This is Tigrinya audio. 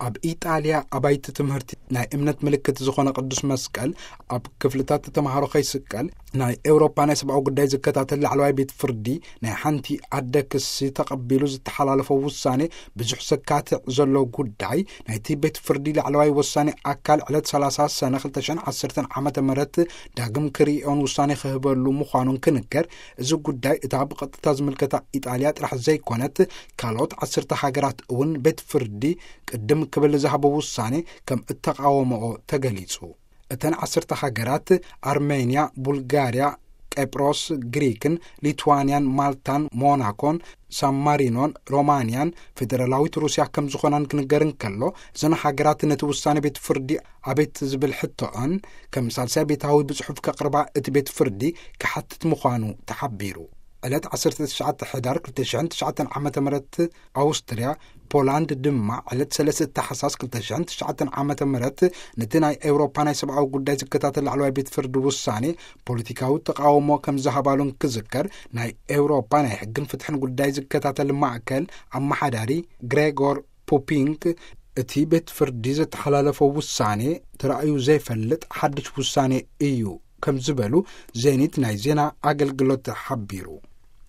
ኣብ ኢጣልያ ኣባይቲ ትምህርቲ ናይ እምነት ምልክት ዝኾነ ቅዱስ መስቀል ኣብ ክፍልታት ተምሃሮ ከይስቀል፣ ናይ ኤውሮፓ ናይ ሰብኣዊ ጉዳይ ዝከታተል ላዕለዋይ ቤት ፍርዲ ናይ ሓንቲ ኣደ ክሲ ተቐቢሉ ዝተሓላለፈ ውሳኔ፣ ብዙሕ ሰካትዕ ዘሎ ጉዳይ ናይቲ ቤት ፍርዲ ላዕለዋይ ወሳኔ ኣካል ዕለት ሰላሳ ሰነ ክልተ ሽሕን ዓሰርተን ዓመተ ምህረት ዳግም ክርእዮን ውሳኔ ክህበሉ ምዃኑን ክንገር፣ እዚ ጉዳይ እታ ብቐጥታ ዝምልከታ ኢጣልያ ጥራሕ ዘይኮነት፣ ካልኦት ዓሰርተ ሃገራት እውን ቤት ፍርዲ ቅድም ክብል ዝሃቦ ውሳኔ ከም እተቓወመኦ ተገሊጹ። እተን ዓሰርተ ሃገራት ኣርሜንያ፣ ቡልጋርያ፣ ቄጵሮስ፣ ግሪክን፣ ሊትዋንያን፣ ማልታን፣ ሞናኮን፣ ሳን ማሪኖን፣ ሮማንያን፣ ፌደራላዊት ሩስያ ከም ዝኾናን ክንገር እንከሎ፣ እዘን ሃገራት ነቲ ውሳኔ ቤት ፍርዲ ኣቤት ዝብል ሕቶኦን ከም ሳልሳይ ቤታዊ ብጽሑፍ ከቕርባ እቲ ቤት ፍርዲ ክሓትት ምዃኑ ተሓቢሩ። ዕለት ዓሰርተ ትሽዓተ ሕዳር ክልተ ሽሕን ትሽዓተን ዓመተ ምህረት ኣውስትርያ፣ ፖላንድ ድማ ዕለት ሰለስተ ታሕሳስ ክልተ ሽሕን ትሽዓተን ዓመተ ምህረት ነቲ ናይ ኤውሮፓ ናይ ሰብኣዊ ጉዳይ ዝከታተል ላዕለዋይ ቤት ፍርዲ ውሳኔ ፖለቲካዊ ተቓውሞ ከም ዝሃባሉን ክዝከር፣ ናይ ኤውሮፓ ናይ ሕግን ፍትሕን ጉዳይ ዝከታተል ማእከል ኣመሓዳሪ ግሬጎር ፑፒንክ፣ እቲ ቤት ፍርዲ ዘተሓላለፈ ውሳኔ ተራእዩ ዘይፈልጥ ሓድሽ ውሳኔ እዩ ከም ዝበሉ ዜኒት ናይ ዜና ኣገልግሎት ሓቢሩ።